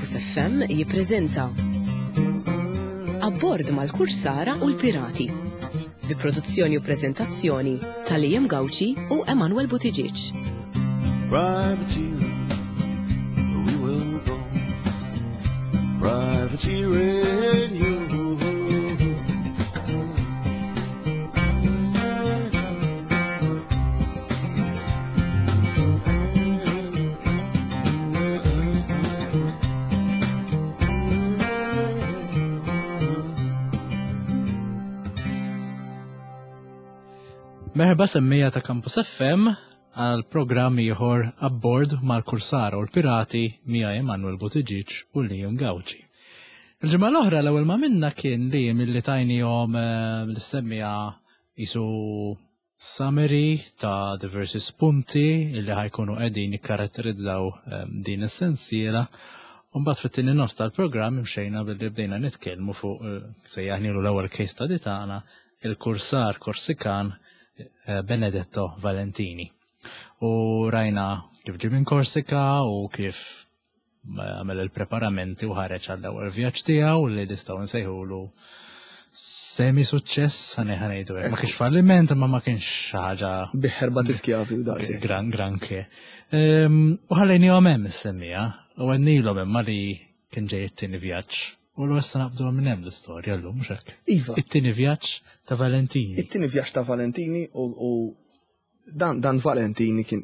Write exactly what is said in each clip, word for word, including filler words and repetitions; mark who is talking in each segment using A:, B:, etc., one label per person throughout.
A: Campus F M jippreżenta Abbord mal-Kursara u l-Pirati bi produzzjoni u preżentazzjoni ta' Liam Gauci u Emanuel Buttigieg.
B: Privateering, we will go. Privateering, you.
C: Merħba semmija ta' Campus F M għal programm ieħor Abbord mal-Kursara u l-Pirati mija Emanuel Buttigieg u Liam Gauci. Il-ġimgħa l-oħra l-ewwel ma minna kien li milli tajnihom eh, l-istemmija jisu summary ta' diversi spunti illi ħa jkunu qegħdin jikkaratterizzaw eh, din is-sensiela. Mbagħad fit-tieni nofs tal-programm imxejna billi bdejna nitkellmu fuq eh, sejjaħnilu l-ewwel case study tagħna, il-kursar Korsikan eh, Benedetto Valentini. U rajna kif ġie minn Korsika u kif għamel il-preparamenti u ħareġ għall-ewwel vjaġġ tiegħu li nistgħu nsejħulu semi suċċess, ħa ngħidu hekk. Ma kienx falliment, imma ma kienx xi ħaġa
D: Biħerba tiskjavi u daqsi.
C: Gran granché. Ehm, U ħallejnihom hemm is-semmija u għednielhom imma li kien ġej it-tieni vjaġġ. U l-issa naqbdu minn hemm l-istorja llum, mhux hekk?
D: Iva.
C: It-tieni vjaġġ ta' Valentini.
D: It-tieni vjaġġ ta' Valentini u, u dan, dan Valentini kien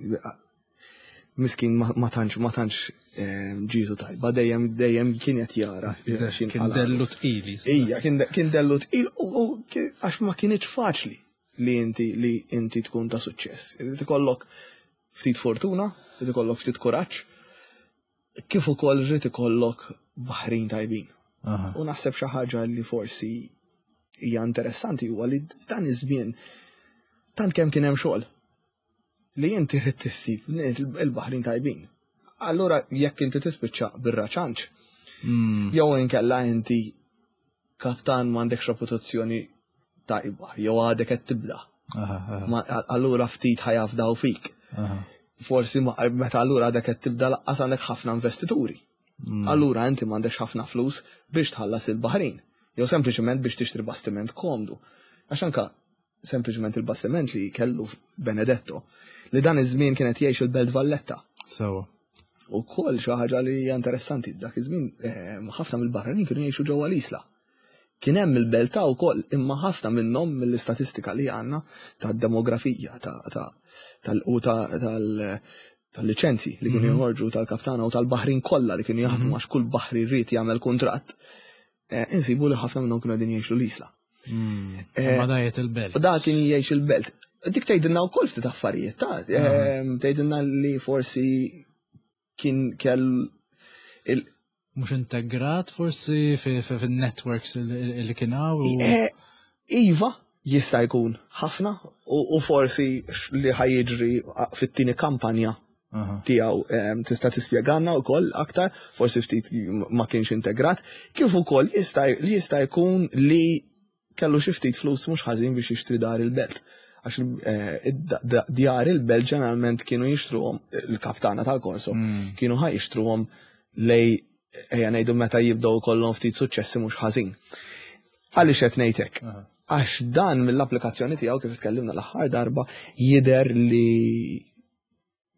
D: miskin ma, ma tantx ma tantx eh, ġietu tajba, dejjem dejjem kien qed jara
C: Kien dellu tqili.
D: Ija, kien kien dellu tqil u u ki- għax ma kienx faċli li inti li inti tkun ta' suċċess. Irid ikollok ftit fortuna, irid ikollok ftit kuraġġ, kif ukoll irid ikollok baħrin tajbin.
C: Aha.
D: U naħseb xi ħaġa li forsi hija interessanti huwa li f'dan iż-żmien tant kemm kien hemm xogħol li inti rrid tissib il-baħrin tajbin. Allura jekk inti tispiċċa bir-raċanċ,
C: Mm.
D: jew inkella inti kaptan m'għandekx reputazzjoni tajba, jew għadek qed tibda.
C: Aha, aha,
D: Ma- Allura ftit ħa jafdaw fik.
C: aha.
D: Forsi ma- meta allura għadek qed tibda lanqas għandek ħafna investituri.
C: Mm.
D: Allura inti m'għandekx ħafna flus biex tħallas il-baħrin. Jew sempliċement biex tixtri bastiment komdu. Għax anka sempliċement il-bastiment li kellu Benedetto, li dan iż-żmien kienet jgħix il-Belt Valletta.
C: Sewa.
D: U koll xi ħaġa li hija interessanti, dak iż-żmien eh, ħafna mill-barranin kienu jgħixu ġewwa l-Isla. Kien hemm il-belta wkoll, imma ħafna minnhom mill-istatistika li għandna tad-demografija ta' ta' tal u ta' tal tal-liċenzji li kienu
C: Mhm.
D: joħorġu tal-kaptana u tal-baħrin kollha li kienu jaħdmu,
C: Mhm.
D: għax kull baħri rrid jagħmel kuntratt. Eh, insibu li ħafna minnhom kienu qegħdin jgħixu l-Isla.
C: Mm.
D: Eh,
C: Ma dajet il-belt.
D: U da kien jgħix il-belt. Dik tgħidilna wkoll ftit affarijiet, ta' ehm, tgħidilna li forsi kien kell il
C: Mhux integrat forsi fin-networks li kien hawn. u-
D: Eh, Iva, jista' jkun ħafna u u forsi li ħa jiġri fit-tieni kampanja
C: Aha.
D: tiegħu em, tista' tispjegana wkoll aktar, forsi ftit ma kienx integrat, kif ukoll jista' li jista' jkun li kellu xi ftit flus mhux ħażin biex jixtri dar il-belt. Għax eh, id- djar il-belt ġeneralment kienu jixtruhom il-kaptana tal-Korso,
C: Mm.
D: kienu ħa jixtruhom lej ejja ngħidu meta jibdew kollhom ftit suċċessi mhux ħażin. Għaliex qed ngħidlek?
C: Aha.
D: Għax dan mill-applikazzjoni tiegħu, kif tkellimna l-aħħar darba, jidher li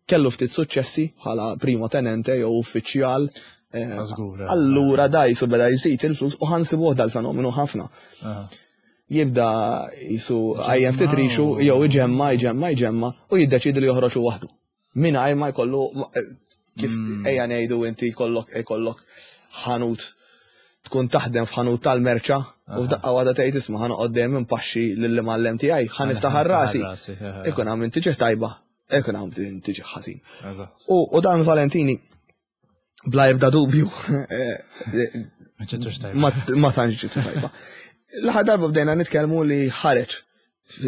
D: kellu ftit suċċessi bħala primo tenente jew uffiċjal. eh,
C: Żgur, eh.
D: Allura da jisu beda jżid il-flus u ħa nsibuh dal-fenomenu ħafna.
C: Aha.
D: Jibda jisu għajjem ftit rixu
C: u-
D: jew iġemma, iġemma, iġemma u jiddeċidi li joħroġ waħdu. Mingħajr ma jkollu ma- eh, kif
C: Mm.
D: ejja ngħidu inti jkollok jkollok ħanut, tkun taħdem f'ħanut tal-merċa u f'daqqa waħda tgħid, "Isma', ħa noqgħod dejjem inpaxxi lill-imgħallem tiegħi, ħa niftaħ rasi." Ikun hawn min tiġi tajba, ikun hawn min tiġi ħażin.
C: Eżatt.
D: U u dan Valentini bla ebda dubju eh, eh,
C: Ma ġietux tajba.
D: ma ma tantx ġitu tajba. L-aħħar darba bdejna nitkellmu li ħareġ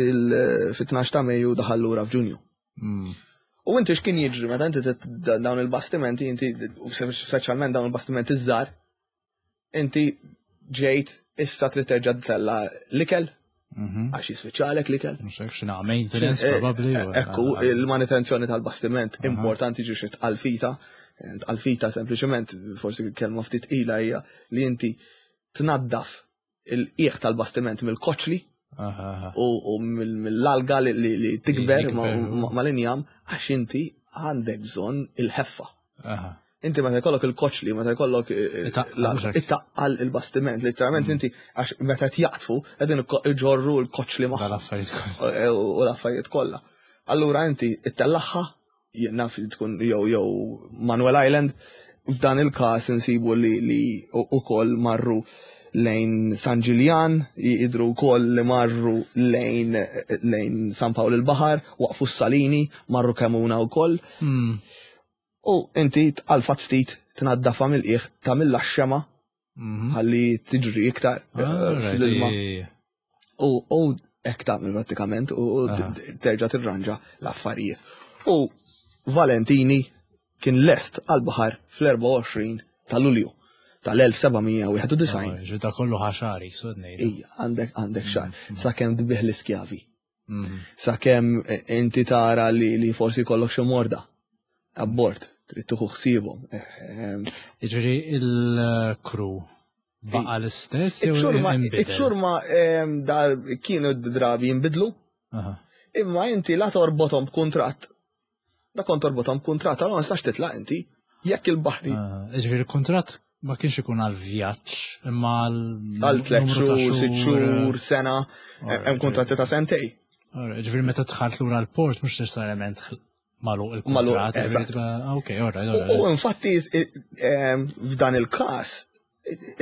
D: fil-tnax ta' Mejju, daħal lura f'Ġunju.
C: Mm.
D: U inti x'kien jiġri meta inti tit- dawn il-bastimenti, inti u speċjalment dawn il-bastimenti żgħar, inti ġejt issa trid terġa' tella l-ikel
C: Mhm.
D: għax jispiċċalek l-ikel.
C: Mhux hekk x'inha maintenance
D: Eh,
C: probabbli. u-
D: Ekku, il-manutenzjoni tal-bastiment
C: Aha.
D: importanti ġi xi tqalfita. Tqalfita sempliċement, forsi kelma ftit ila hija li inti tnaddaf il-qiegħ tal-bastiment mill-koċli u mill-alga li tikber mal-injam għax inti għandek bżonn il-ħeffa. Inti meta jkollok il-koċli, meta jkollok it-taqqal il-bastiment, literalment inti għax meta jaqtfu qegħdin iġorru l-koċli magħhom. U l-affarijiet kollha. Allura inti ittellagħha, naf tkun jew jew Manuel Island, f'dan il-każ insibu li li ukoll marru lejn San Ġiljan, jidru wkoll li marru lejn lejn San Pawl il-Baħar, waqfu s-Salini, marru Kemuna wkoll. U inti tqalfat ftit tnaddafa mill-qiegħ tagħmilha x-xema ħalli tiġri iktar fl-ilma. U hekk tagħmel prattikament u terġa' tirranġa l-affarijiet. U Valentini kien lest għal-baħar fl-erbgħa u għoxrin ta' Lulju tal-elf seba' mija u wieħed u disgħin.
C: Ġifieri kollu ħaxari, sod ngħidu.
D: Ija, għandek għandek xahar sakemm tbih l-iskjavi. Sakemm inti tara li, li forsi jkollok xi morda abbord, trid tieħu ħsiebhom.
C: Jiġifieri il-crew baqa' l-istess jew
D: Iċ-ċurma,
C: inbidel?
D: iċ-ċurma, ehm, da kienu drabi jinbidlu.
C: Aha.
D: Imma inti la torbothom b'kuntratt. Da kont torbothom b'kuntratt, allora ma nistax titlaq inti. Jekk il-baħri.
C: Ah, Jiġifieri il-kuntratt ma kienx ikun għal vjaġġ, imma għal
D: Għal tliet
C: numru ta'
D: xhur, sitt xhur, sena,
C: Alright,
D: hemm kuntratti ta' sentej.
C: Alright, Jiġifieri meta dħalt lura l-port mhux neċessarjament magħluq il-kuntratt,
D: Magħluq,
C: jiġifieri
D: eżatt.
C: tibqa', ah, ok, alright,
D: U
C: alright.
D: u infatti, ehm, f'dan il-każ,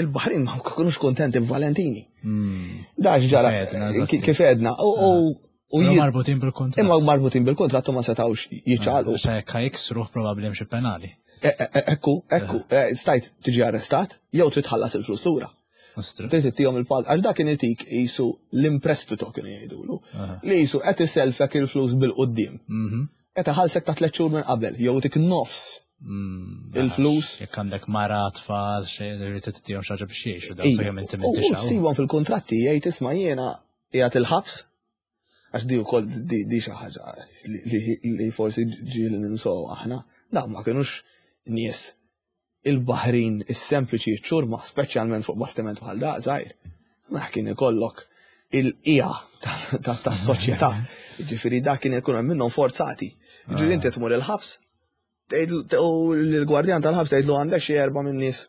D: il-Baħrin ma kinux kontenti b'Valentini.
C: Hmm.
D: Dax ġara,
C: Kif għedna, eżatt.
D: ki-, kif għedna, u, u, u
C: Però
D: jid-
C: marbutin bil-kuntratt.
D: Imma marbutin bil-kuntratt u ma setgħux jiċċaqalqu.
C: Xa jekk ħa jiksruh probabbli hemm xi penali.
D: E, e, e, ekku, ekku, e, stajt tiġi arrestat, jew trid tħallas il-flus lura.
C: Ostru.
D: Trid ittihom il-pal, għax dak kien itik qisu l-imprestito kienu jgħidulu.
C: Aha.
D: Li qisu qed iselfek il-flus bil-quddiem.
C: Mhm.
D: Qed iħallsek ta' tliet xhur minn qabel, jew tik nofs
C: Mm,
D: il-flus.
C: Jekk għandek mara, tfal, xejn, irid tittihom xi ħaġa biex jgħixu, dan
D: Ija.
C: sakemm inti
D: U
C: m'intix hawn.
D: ssibhom fil-kuntratti jgħid isma' jiena qiegħed il-ħabs, għax di wkoll di, di xi ħaġa li, li, li forsi ġieli ninsow aħna. Dawn ma kinux nies il-baħrin is-sempliċi ċurma, speċjalment fuq bastiment bħal da żgħir. Ma kien ikollok il-qija tas-soċjetà. Ġifieri dak kien ikun hemm minnhom forzati. Ġifieri inti tmur il-ħabs, tgħid u l-gwardjan tal-ħabs tgħidlu għandek xi erba' minn nies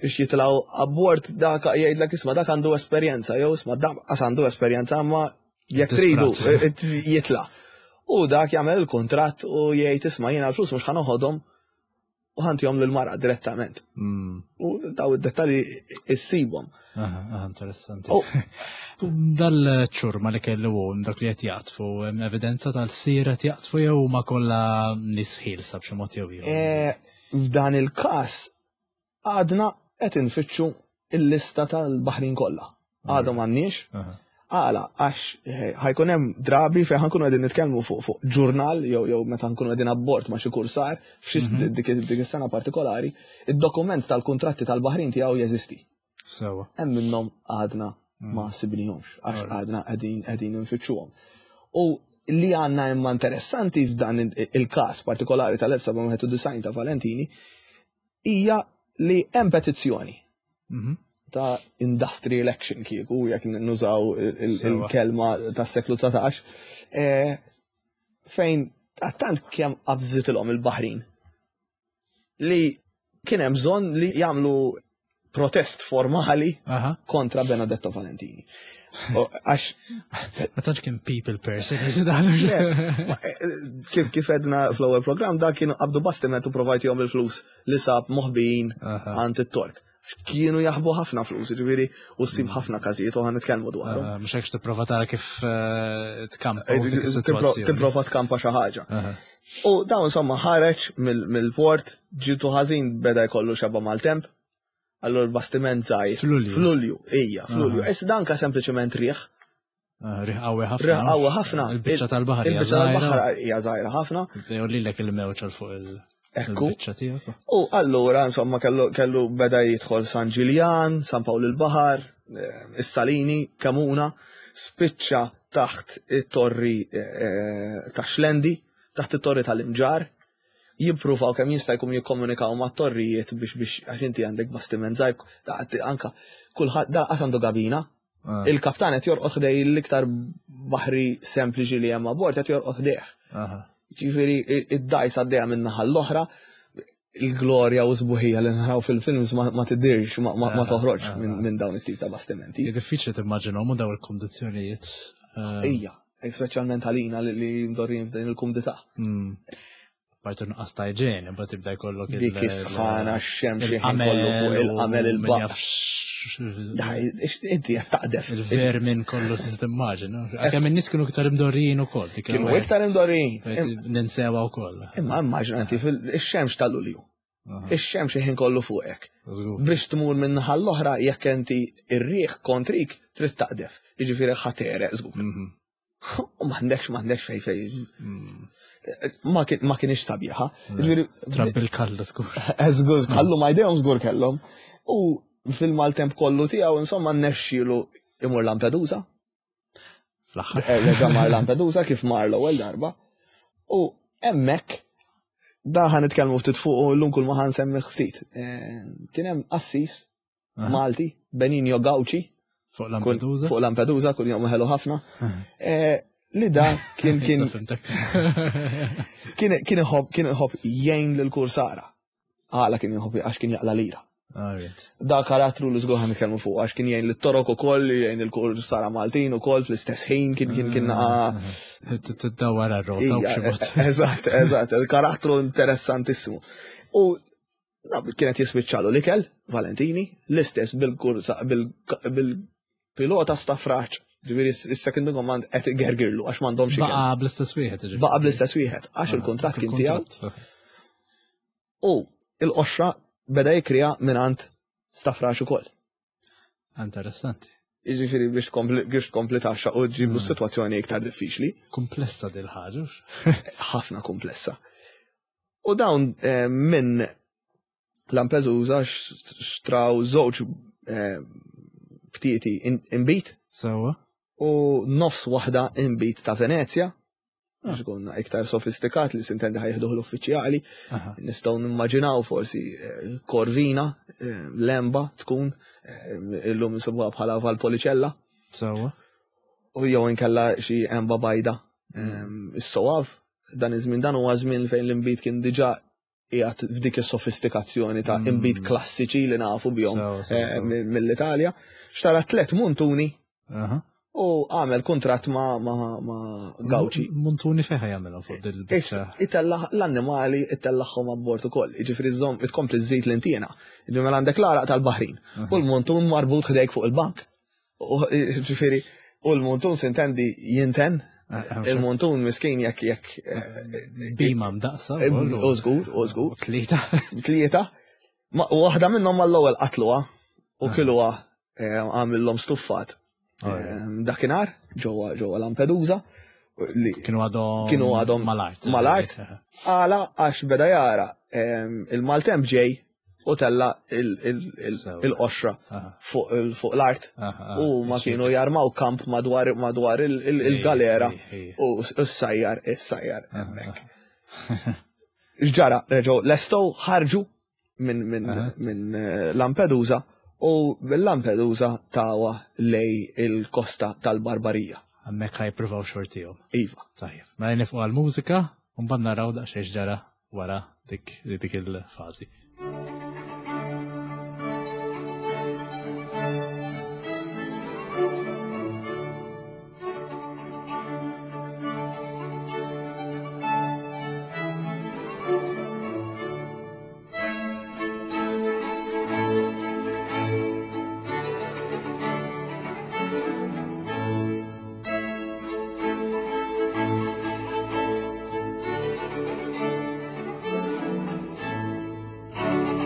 D: biex jitilgħu abbord, dak jgħidlek isma' dak għandu esperjenza, jew isma' dak qas għandu esperjenza, imma jekk tridu
C: Disperat.
D: jitla'. U dak jagħmel il-kuntratt u jgħid isma' jiena l-flus mhux ħa noħodhom u ħa ntihom lill-mara direttament.
C: Mm.
D: U daw id-dettalji issibhom.
C: Aha, aha, interessanti.
D: U
C: Dal-ċurma li kellu hu, dak li qed jaqtfu, hemm evidenza tal-sira qed jaqtfu jew huma kollha nies ħielsa b'xi mod jew ieħor?
D: E, f'dan il-każ għadna qed infittxu il-lista tal-baħrin kollha. Għadhom m'għandniex.
C: Aha.
D: Għala, għax, eh, ħajkun hemm drabi fejn ħankunu qegħdin nitkellmu fuq, fuq ġurnal jew, jew meta nkunu qegħdin abbord ma' xi kursar f'xi
C: Mhm.
D: dik, dik is-sena partikolari, id-dokument tal-kuntratti tal-baħrin tiegħu jeżisti.
C: Sewa.
D: Hemm minnhom għadna
C: Mm.
D: ma sibnihomx għax
C: Alright.
D: għadna qegħdin qegħdin infittxuhom. U li għandna imma interessanti f'dan il-, il-każ partikolari tal-elf seba' wieħed u disgħin ta' Valentini hija li hemm petizzjoni
C: Mhm.
D: ta' industrial action kieku, jekk nużaw il-, il-,
C: Sewa.
D: il-kelma tas-seklu dsatax, eh, fejn tant kemm qabżitilhom il-baħrin li kien hemm bżonn li jagħmlu protest formali
C: Aha.
D: kontra Benedetto Valentini. U għax
C: Ma tantx kien people person, dan.
D: Le, ma, eh, kif, kif edna fl-ewwel programm, da kienu qabdu bastiment u provajtihom il-flus li sab moħbijin
C: Aha.
D: għand it-Tork. Kienu jaħbu ħafna flus, ġifieri, u ssib ħafna każijiet u ħa nitkellmu dwarhom.
C: Ah, mhux hekk tipprova tara kif, eh, tkampa
D: Eh,
C: dik
D: tipro-
C: is-sitwazzjoni.
D: Tipprova tkampa xi ħaġa.
C: Aha.
D: U dawn insomma ħareġ mill-, mill-port, ġitu ħażin beda jkollu xeba mal-temp. Allura l-bastiment żgħir.
C: F'Lulju.
D: F'Lulju, ija, f'Lulju.
C: Aha.
D: Issa danka sempliċement riħ.
C: Ah, riħ qawwi ħafna.
D: Riħ qawwi ħafna.
C: Il-biċċa tal-baħar hija
D: Il-biċċa tal-baħar
C: żgħira.
D: hija żgħira ħafna.
C: Jgħollilek il-mewġ għal fuq il-
D: Ekku.
C: il-biċċa tiegħek.
D: U allura insomma kellu, kellu beda jidħol San Ġiljan, San Pawl il-Baħar, eh, is-Salini, Kemuna, spiċċa taħt it-torri, eh, ta' Xlendi, taħt it-torri tal-Imġar, Jippruvaw kemm jista' jkun jikkomunikaw ma' torrijiet biex biex għax inti għandek bastiment żgħir, da- anka kulħadd da qatt għandu gabina.
C: Ah,
D: Il-kaptan qed jorqod ħdej l-iktar baħri sempliċi li hemm abbord qed jorqod ħdejh.
C: aha.
D: Ġifieri id-dajs għaddejja minn naħa l-oħra, il-glorja u sbuħija li naraw fil-films ma, ma tidirx, ma, ma, ma
C: Ah,
D: toħroġ
C: ah,
D: minn
C: ah.
D: min dawn it-tip ta' bastimenti.
C: Hija diffiċli timmaġinhom u daw il-kondizzjonijiet. Eh,
D: Ija, speċjalment għalina li, li mdorrin f'din il-kumdità.
C: mm. Parti nuqqas ta' iġene, mbagħad tibda jkollok il-
D: Dik is-sħana, x-xemx ħin
C: il-qamel
D: kollu fuq il-qamel
C: u min
D: il-baq.
C: jaf x-
D: Daj, ix- Inti qed taqdef.
C: Il-vermin kollu timmaġina. Kemm in-nies kienu iktar imdorrijin ukoll. dik
D: Kienu
C: l-ewwel.
D: iktar imdorrin.
C: Ninsewa wkoll.
D: Imma immaġina inti fil-xemx tal-Lulju.
C: Aha,
D: Ix-xemx ħin kollu fuqek.
C: żgur.
D: Biex tmur minn naħa l-oħra jekk inti ir-riħ kontrik trid taqdef. Jiġifieri ħa tegħreq żgur.
C: Mhm.
D: U m'għandekx m'għandekx fej fej.
C: Mm.
D: Ma kien- ma kienx sabiħa. Jiġifieri
C: Trabbi l-kallu żgur.
D: Żgur, kallu ma jdejhom żgur kellhom. U fil-maltemp kollu tiegħu insomma nnexxielu imur Lampedusa.
C: Fl-aħħar.
D: Reġa' mar Lampedusa kif mar l-ewwel darba. U hemmhekk da ħa nitkellmu ftit fuq u llum kull ma ħa nsemmih ftit. Eh, Kien hemm qassis
C: Aha.
D: Malti, Benigno Gauci,
C: Fuq
D: kull-
C: Lampedusa.
D: fuq Lampedusa, kull jom ħelu ħafna. Eh, Li da kien kien
C: Issa fimtek.
D: kien kien iħobb kien iħobb jgħin lil kursara. Għala kien iħobb għax kien jaqla lira.
C: Alright.
D: Da karattru li żgur ħa nitkellmu fuq għax kien jgħin lit-Torok ukoll, jgħin il-kursara Maltin ukoll fl-istess ħin kien kien kien
C: Ah,
D: naqa'
C: Tiddawwar ar-rota u
D: Ija,
C: b'xi mod.
D: Eżatt, eżatt, il-karattru interessantissimo. U na, kienet jispiċċalu l-ikel, Valentini, l-istess bil-kursa, bil-pilota Stafrace. Ġifieri s-second in command qed igergirlu għax m'għandhomx ikel.
C: Baqa bl-istess wieħed. ġifieri.
D: Baqa bl-istess wieħed, għax il-kuntratt kien tiegħu.
C: Il-kuntratt,
D: U il-qoxra beda jikrija mingħand Stafrace ukoll.
C: Interessanti.
D: Jiġifieri biex tkompli biex tkompli taxxa u ġibu
C: Mm.
D: s-sitwazzjoni iktar diffiċli.
C: Komplessa dil ħaġa.
D: ħafna komplessa. U dawn eh, minn Lampedusa xtraw żewġ eh, btieti in- inbit
C: Sewwa.
D: u nofs waħda inbit ta' Venezja.
C: Ah.
D: Biex konna iktar sofistikat li sintendi ħa jieħduh l-uffiċjali,
C: Aha.
D: nistgħu nimmaġinaw forsi eh, Corvina, eh, Lemba tkun, eh, illum insibuha bħala Valpolicella,
C: Sewwa.
D: u jew inkella xi emba bajda. Ehm, Is-sowav, dan iż-żmien dan huwa żmien fejn l-inbid kien diġà qiegħed f'dik is-sofistikazzjoni ta'
C: Mm.
D: inbid klassiċi li nafu bihom
C: Sewwa, sewwa,
D: eh,
C: sewwa.
D: mill- mill-Italja. Xtara tliet muntuni
C: Aha.
D: u għamel kuntratt ma' ma' ma' Gauci.
C: Muntuni fejn jagħmelhom fuq dil-biċċa.
D: Itella l-annimali itellaħħom abbord ukoll. Jiġifieri żomm itkompli żżid l-intiena. Jiġifieri mela għandek l-għaraq tal-Baħrin. U l-muntun marbut ħdejk fuq il-bank. U Ġifieri, u l-muntun sintendi jinten.
C: Ah, ah,
D: Il-muntun miskin jekk jekk eh,
C: Bima mdaqsa.
D: eh,
C: wkoll,
D: u żgur, u żgur.
C: u Tlieta.
D: Tlieta. Ma- U waħda minnhom mal-ewwel qatluha u
C: Ah.
D: kiluha eh, għamillhom stuffat.
C: Oh,
D: Eh, Dakinhar ġewwa ġewwa Lampedusa li
C: Kienu għadhom.
D: Kienu għadhom
C: mal-art.
D: mal-art. Għala għax beda jara em, il-maltemp ġej u tella il- il- il-
C: Sewa.
D: il-qoxra
C: Aha,
D: fuq il- fuq l-art
C: aha, aha.
D: u ma kienu jarmaw kamp madwar madwar il- il- il-galera
C: Ej, ej, ej.
D: u s-sajjar is-sajjar
C: Aha,
D: hemmhekk. X'ġara, reġgħu lestow ħarġu minn minn
C: Aha.
D: minn eh, Lampedusa u bil-Lampedusa tawa lej il-kosta tal-Barbarija.
C: Hemmhekk ħa jippruvaw xortihom.
D: Iva.
C: Tajjeb. Mela nifqu għal-mużika u mbagħad naraw daqsxejn ġara wara dik dik il-fażi.
B: Thank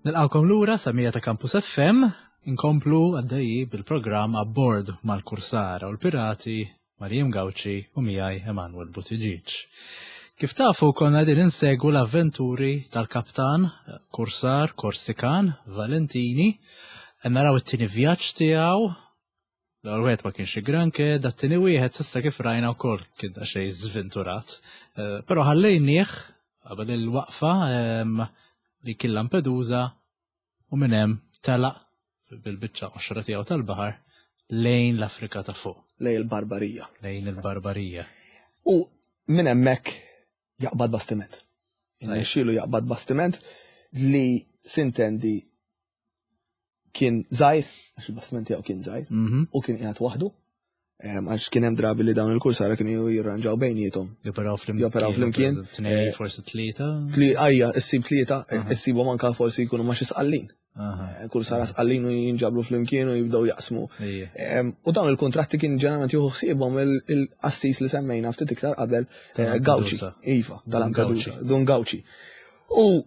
C: Nilqawkom lura semmiegħa ta' Campus F M, inkomplu għaddejji bil-programm Abbord mal-Kursara u l-Pirati, ma' Liam Gauci u miegħi Emanuel Buttigieg. Kif tafu, konna din insegwu l-avventuri tal-kaptan Kursar Korsikan Valentini, naraw it-tieni vjaġġ tiegħu. L-ewwel wieħed ma kienx granke, dat-tieni wieħed s'issa kif rajna wkoll kien xejn żventurat. Eh, Però ħallejnieh qabel il-waqfa em, li kien Lampedusa u minn hemm telaq bil-biċċa qoxra tiegħu tal-baħar lejn l-Afrika ta' fuq,
D: Lejn il-Barbarija.
C: Lejn il-Barbarija.
D: U minn hemmhekk jaqbad bastiment. Innexxielu jaqbad bastiment li sintendi kien żgħir, għax il-bastiment tiegħu kien żgħir,
C: Mhm.
D: u kien qiegħed waħdu. Em, Għax kien hemm drabi li dawn il-kursara kienu jirranġaw bejniethom.
C: Joperaw flimkien.
D: Joperaw flimkien.
C: Tnej,
D: Eh,
C: forsi tlieta.
D: Tli għajja, issib tlieta,
C: Aha.
D: issibhom anka forsi jkunu ma' xi sqallin.
C: Aha.
D: Kursara sqallin u jinġabru flimkien u jibdew jaqsmu.
C: Ejja.
D: Em, U dawn il-kontratti kien ġeneralment jieħu ħsiebhom il-qassis li semmejna ftit iktar qabel, eh, Gauci.
C: Tal-Lampedusa.
D: Iva,
C: Dun
D: tal-Lampedusa,
C: Gauci.
D: Dun Gauci. U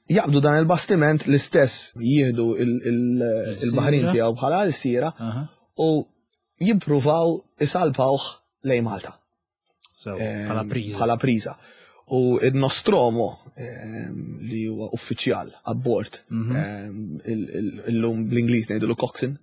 D: jaqbdu dan il-bastiment l-istess, jieħdu il- il- il-baħrin tiegħu bħala l-sira
C: Aha.
D: u jippruvaw isalpawh lejn Malta.
C: So,
D: Em,
C: bħala priża.
D: Bħala priża. U il-Nostromo em, li huwa uffiċjal abbord,
C: Mhm.
D: em, il- il- illum bl-Ingliż ngħidulu coxswain,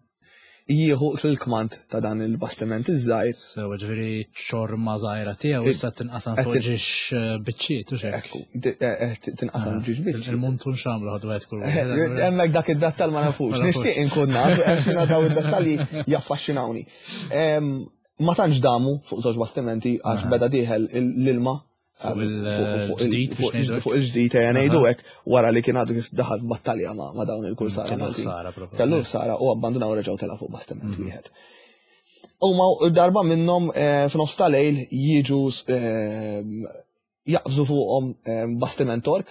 D: jieħu fil-kmand ta' dan il-bastiment iż-żgħir.
C: So, ġifieri ċorma żgħira tiegħu issa tinqasam
D: qed
C: fuq
D: tin-
C: ġiex eh, biċċiet u xek.
D: Ekku, di- eh, eh, tinqasam ġiex biċċiet.
C: Il-muntun x'għamlu, ħadu għed kull.
D: Hemmhekk dak id-dettal ma nafux.
C: Ma nafux.
D: Nixtieq inkun naf, għax daw id-dettalji jaffaxxinawni. Em, Ma tantx damu fuq żewġ bastimenti għax
C: Aha.
D: beda dieħel l-ilma
C: Fuq
D: fuq- fuq il-
C: il-ġdid biex
D: fuq il-
C: ngħidu hekk.
D: fuq il-ġdid ejja ngħidu hekk, wara li kien għadu kif daħal f'battalja ma' ma' dawn il-kursara
C: Kellu
D: Maltin.
C: ħsara proprio.
D: Kellu ħsara u abbandunaw, reġgħu tela fuq bastiment
C: Mhm.
D: wieħed. U ma darba minnhom eh, f'nofs ta' lejl jiġu eh, jaqbżu fuqhom eh, bastiment Tork.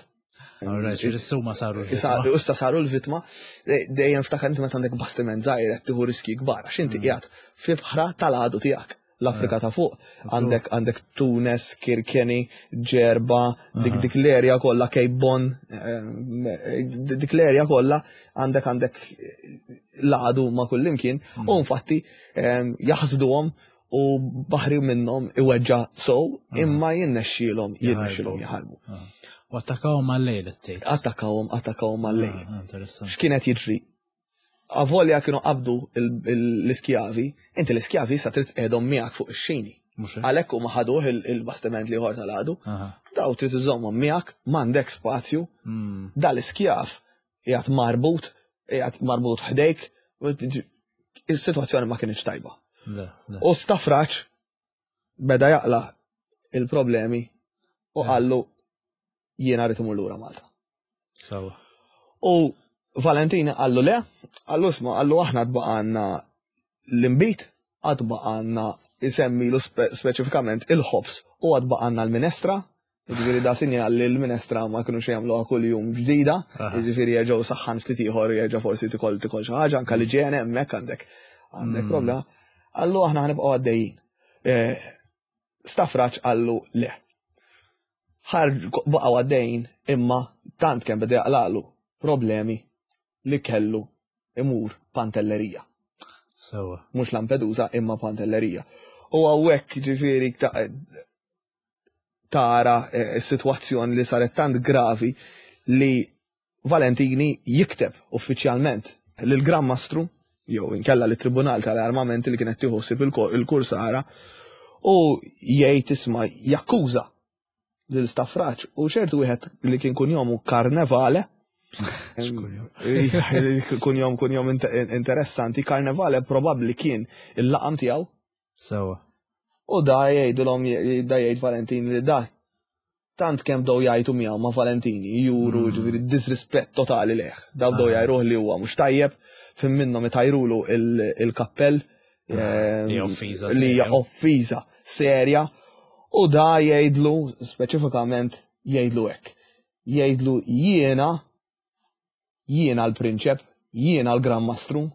C: Alright, ġifieri huma saru
D: Issa
C: l-vittma.
D: Issa saru l-vittma, eh, dejjem ftakar inti meta għandek bastiment żgħir qed tieħu riski kbar għax inti
C: Mm.
D: qiegħed fi bħra tal-għadu tiegħek. L-Afrika ta' fuq għandek għandek Tunes, Kirkeni, Ġerba, dik
C: Aha.
D: dik l-erja kollha, Cape Bon, eh, dik l-erja kollha għandek għandek l-għadu ma' kullimkien
C: Mm.
D: u infatti eh, jaħsduhom u baħri minnhom iweġġa sow,
C: Aha.
D: imma jinnexxielhom jirnexxielhom
C: Jaħarbu.
D: jaħarbu.
C: Ah. U attakawhom mal-lejl tgħid.
D: Attakkawhom attakkawhom mal-lejl.
C: Ah, Interessanti.
D: X'kienet jiġri? Avolja kienu qabdu il- il- l-iskjavi, inti l-iskjavi issa trid tqegħdhom miegħek fuq ix-xini.
C: Mhux hekk?
D: Għalhekk huma ħaduh il- il-bastiment l-ieħor tal-għadu,
C: Aha.
D: daw trid iżommhom miegħek, m'għandek spazju,
C: Mm.
D: dal-iskjav qiegħed marbut, qiegħed marbut ħdejk, u is-sitwazzjoni ma kienx tajba.
C: Le, le.
D: U Stafraċ beda jaqla il-problemi u
C: Eh.
D: qallu, "Jiena rrid imur lura Malta."
C: Sawa.
D: U Valentina qallu le, qallu isma', qallu aħna tbaqanna l-imbit, għad baqanna, isemmilu spe speċifikament il-ħobs u għad baqanna l-minestra, ġifieri da sinjal li l-minestra ma kienu jagħmluha kull jum ġdida,
C: Aha.
D: ġifieri jerġgħu saħħan ftit ieħor, jerġa' forsi tikol tikol xi ħaġa, anke l-iġene hemmhekk għandek għandek
C: Mm.
D: problema. Qallu aħna ħanibqgħu għaddejjin. Eh, Stafraċ qallu le. Ħarġ baqgħu għaddejjin, imma tant kemm beda jaqlaqlu problemi li kellu imur Pantellerija.
C: Sawa.
D: Mhux Lampedusa imma Pantellerija. U hawnhekk ġifieri ta- tara eh, s-sitwazzjoni li saret tant gravi li Valentini jikteb uffiċjalment lil Gran Mastru jew inkella li tribunal tal-armamenti li kienet tieħu ħsieb il-kursara u jgħid isma', jakkuża lil Stafraċ u ċertu wieħed li kien kunjomu Carnevale.
C: X'kunjom?
D: Kunjom kunjom interessanti, Carnevale probabbli kien il-laqam tiegħu.
C: Sawa.
D: U da jgħidulhom, da jgħid Valentini li da tant kemm bdew jgħajtu miegħu ma' Valentini juru
C: Mm.
D: ġifieri disrispett totali leh. Daw bdew
C: Ah.
D: jgħajruh li huwa mhux tajjeb, fin minnhom itajrulu il- il-kappell
C: Ah, li
D: ehm,
C: offiża
D: li hija
C: serja.
D: offiża serja, u da jgħidlu speċifikament, jgħidlu hekk. Jgħidlu, jiena jiena l-prinċep, jiena l-Gran Mastru,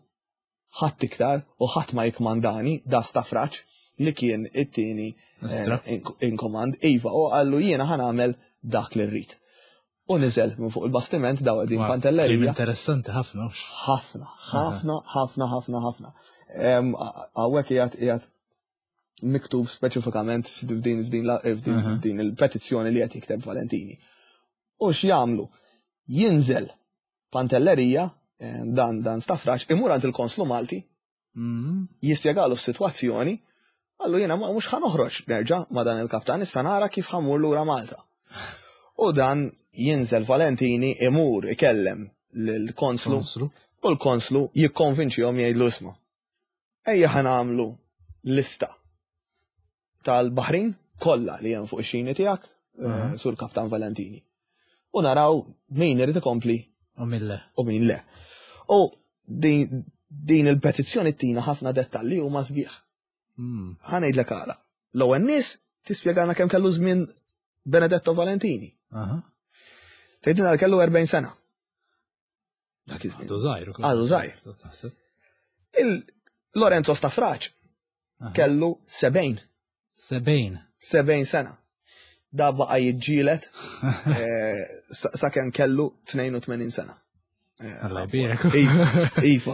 D: ħadd iktar u ħadd ma jikmandani, da Stafraċ li kien it-tieni
C: Istra.
D: eh, in- in command, iva, u qallu jiena ħa nagħmel dak li rrid. U niżel minn fuq il-bastiment daw qegħdin
C: Wow,
D: Pantellerija.
C: Klim interessanti ħafna. hux?
D: Ħafna, ħafna, ħafna, ħafna, ħafna. Hawnhekk qiegħed qiegħed miktub speċifikament f'din f'din la- f'din
C: Aha.
D: din il-petizzjoni li qed jikteb Valentini. U x'jagħmlu? Jinżel Pantellerija, em, dan dan Stafraċ, imur għand il-konslu Malti,
C: Mhm.
D: jispjegalu s-sitwazzjoni, qallu jiena ma mhux ħa noħroġ nerġa' ma' dan il-kaptan, issa nara kif ħa mmur lura Malta. U dan jinżel Valentini imur ikellem lill-konslu
C: Konslu.
D: u l-konslu jikkonvinċihom jgħidlu isma'. Ejja ħa nagħmlu lista tal-Baħrin kollha li hemm fuq ix-xini tiegħek, eh,
C: Aha.
D: sur Kaptan Valentini. U naraw min irid ikompli
C: U mille.
D: u min le. U din, din il-petizzjoni tina ħafna dettalji u ma sbieħ.
C: Mm.
D: Ħa ngħidlek għala. L-ewwel nies tispjegana kemm kellu żmien Benedetto Valentini.
C: Aha.
D: Tgħidilna li kellu erbgħin sena. Dak iż-żmien.
C: Għadu żgħir ukoll.
D: Għadu żgħir.
C: Taħseb.
D: Il-Lorenzo Stafraċ
C: Aha.
D: kellu sebgħin.
C: Sebgħin.
D: sebgħin sena. Da baqa jiġġielet eh, sa- sakemm kellu tnejn u tmenin sena. Eh,
C: Alla jbierek.
D: Iva,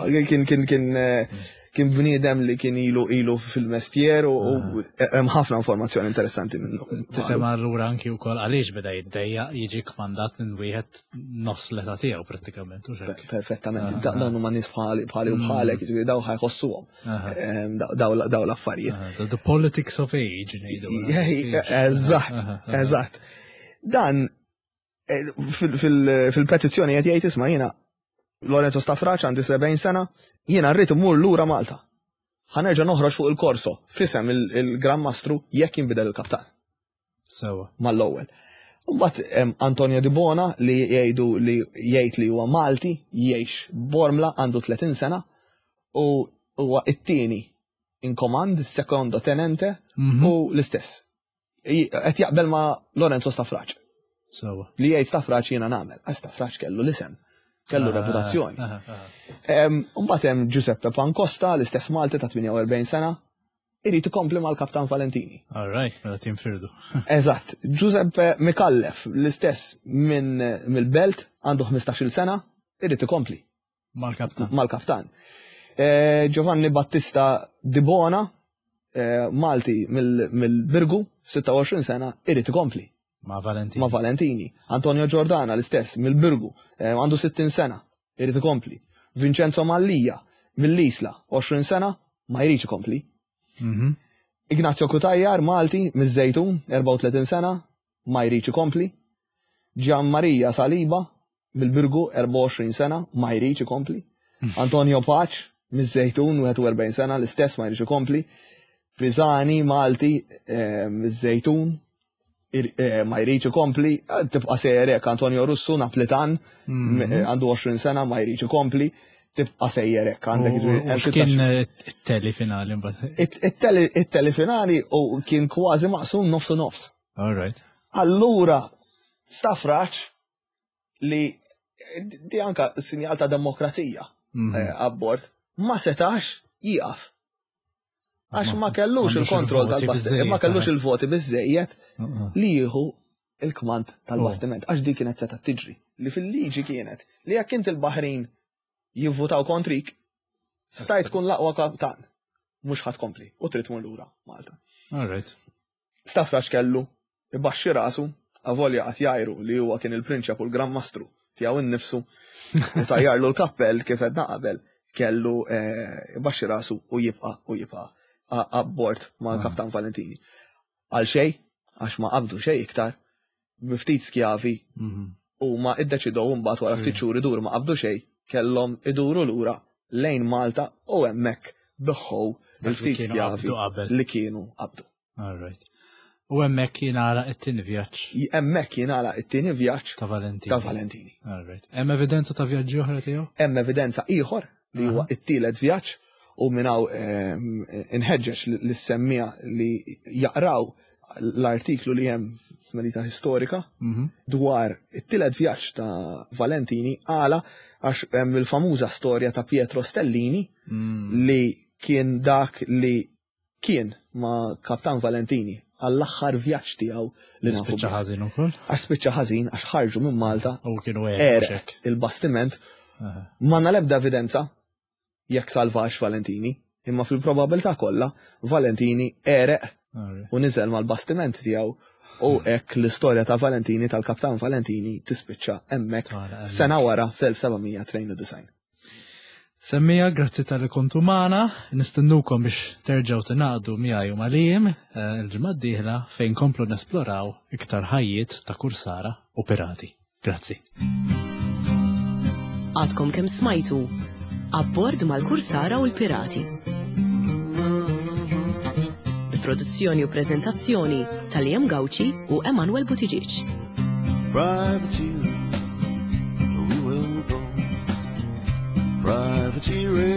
D: iva, kien kien kien eh, kien bniedem li kien ilu ilu fil-mestier u u hemm ħafna informazzjoni interessanti minnu.
C: Tifhem allura anki wkoll għaliex beda jiddejjaq jiġi kmandat minn wieħed nofs l-età tiegħu prattikament u hekk.
D: Perfettament,
C: Ah,
D: Da- dawn huma nies bħali bħali u bħalek, jiġifieri daw ħa jħossuhom
C: Aha.
D: em, daw daw l-affarijiet.
C: Aha, The the politics of age ngħidu.
D: Eżatt,
C: Aha, aha.
D: eżatt. Dan eh, fil- fil- fil-petizzjoni qed jgħid isma' jiena Lorenzo Stafraċ għandi sebgħin sena, jiena rrid immur lura Malta. Ħa nerġa' noħroġ fuq il-korso fisem il- il-Gran Mastru jekk jinbidel il-kaptan
C: Sewa.
D: mal-ewwel. Mbagħad hemm Antonio Di Bona li jgħidu li jgħid li huwa Malti, jgħix Bormla, għandu tletin sena u huwa it-tieni in command, secondo tenente
C: Mhm.
D: u l-istess. I- Qed jaqbel ma' Lorenzo Stafraċ.
C: Sewa.
D: Li jgħid Stafraċ jiena nagħmel. Għax Stafraċ kellu l-isem, kellu
C: Ah,
D: reputazzjoni.
C: aha, aha.
D: Em, Mbagħad hemm Giuseppe Pancosta, l-istess Malti ta' tmienja u erbgħin sena, irid ikompli mal-Kaptan Valentini.
C: All right, mela tinfirdu.
D: Eżatt, Giuseppe Mikallef, l-istess minn mill-Belt, għandu ħmistax-il sena, irid ikompli
C: Mal-kaptan.
D: mal-kaptan. Eh, Giovanni Battista Di Bona, eh, Malti mill- mill-Birgu, sitta u għoxrin sena, irid ikompli
C: Ma' Valentini.
D: ma' Valentini. Antonio Giordana, l-istess, mill-Birgu, eh, għandu sittin sena, irid ikompli. Vincenzo Mallia, mill-Isla, għoxrin sena, ma jridx ikompli.
C: Mhm.
D: Ignazio Kutajjar, Malti, miż-Żejtun, erbgħa u tletin sena, ma jridx ikompli. Gian Maria Saliba, mill-Birgu, erbgħa u għoxrin sena, ma jridx ikompli. Antonio Paċ, miż-Żejtun, wieħed u erbgħin sena, l-istess ma jridx ikompli. Pisani, Malti, eh, miż-Żejtun, ir- eh, ma jridx ikompli. Eh, Tibqa' sejjer hekk, Antonio Russu, Naplitan,
C: Mhm.
D: m- eh, għandu għoxrin sena, ma jridx ikompli. Tibqa' sejjer hekk, għandek
C: U-
D: jiġifieri
C: U
D: hemm
C: x'kien eh, it-tally finali mbagħad?
D: It- it-tally it-tally finali u kien kważi maqsum nofs u nofs.
C: All right.
D: Allura, Stafraċ li di anka sinjal ta' demokrazija
C: Mhm.
D: eh, abbord, ma setax jieqaf. Għax ma kellux
C: M'għandux
D: il-kontroll
C: il-voti
D: tal-bastiment, ma
C: biżżejjed,
D: kellux
C: eh.
D: il-voti biżejjed
C: Uh-uh.
D: li jieħu il-kmand tal-bastiment, għax di kienet seta tiġri. Li fil-liġi kienet li jekk inti l-Baħrin jivvutaw kontrik, stajt tkun l-aqwa kaptan, mhux ħa tkompli u trid tmur lura Malta.
C: All right.
D: Stafraċ kellu ibaxxi rasu, avolja qatt jgħiru li huwa kien il-prinċep u l-Gran Mastru tiegħu innifsu u tajjarlu l-kappell kif għedna qabel, kellu eh, ibaxxi rasu u jibqa' u jibqa' a- abbord ma'
C: Ah.
D: Kaptan Valentini. Għal xej, għax ma qabdu xej iktar, bi ftit skjavi
C: Mhm.
D: u ma iddeċidew mbagħad wara ftit xhur iduru ma qabdu xej, kellhom iduru lura lejn Malta u hemmhekk biegħu
C: Dak li
D: il-ftit
C: kienu
D: skjavi
C: qabdu qabel.
D: li kienu qabdu.
C: All right. U hemmhekk jingħalaq it-tieni vjaġġ
D: Hemmhekk jingħalaq it-tieni vjaġġ
C: ta' Valentini.
D: ta' Valentini.
C: All right. Hemm evidenza ta' vjaġġi oħra tiegħu?
D: Hemm evidenza ieħor li huwa it-tielet vjaġġ u minn hawn ehm, inħeġġeġ lis-semmiegħa li jaqraw l-artiklu li hemm f'Melita Historika
C: Mhm.
D: dwar it-tielet vjaġġ ta' Valentini għala għax hemm il-famuża storja ta' Pietro Stellini
C: Mm.
D: li kien dak li kien ma' Kaptan Valentini għall-aħħar vjaġġ tiegħu li nafu.
C: Spiċċa
D: bih.
C: ħażin ukoll.
D: Għax spiċċa ħażin, għax ħarġu minn Malta,
C: U kienu
D: għereq
C: għereq.
D: il-bastiment, m'għandna l-ebda evidenza jekk salvax Valentini, imma fil-probabilità kollha Valentini għereq u niżel mal-bastiment tiegħu u hekk l-istorja ta' Valentini, tal-Kaptan Valentini, tispiċċa hemmhekk
C: Tara, hemmhekk.
D: sena wara fl-elf seba' mija tnejn u disgħin.
C: Semmiegħa, grazzi talli kontu magħna, nistennukom biex terġgħu tingħaqdu miegħi u ma' Liam eh, il-ġimgħa d-dieħla fejn komplu nesploraw iktar ħajjiet ta' kursara u pirati. Grazzi.
A: Għadkom kemm smajtu Abbord mal-Kursara u l-Pirati. Produzzjoni u prezentazzjoni ta' Liam Gauci u Emanuel Buttigieg.
B: Privateer, we will go. Privateering.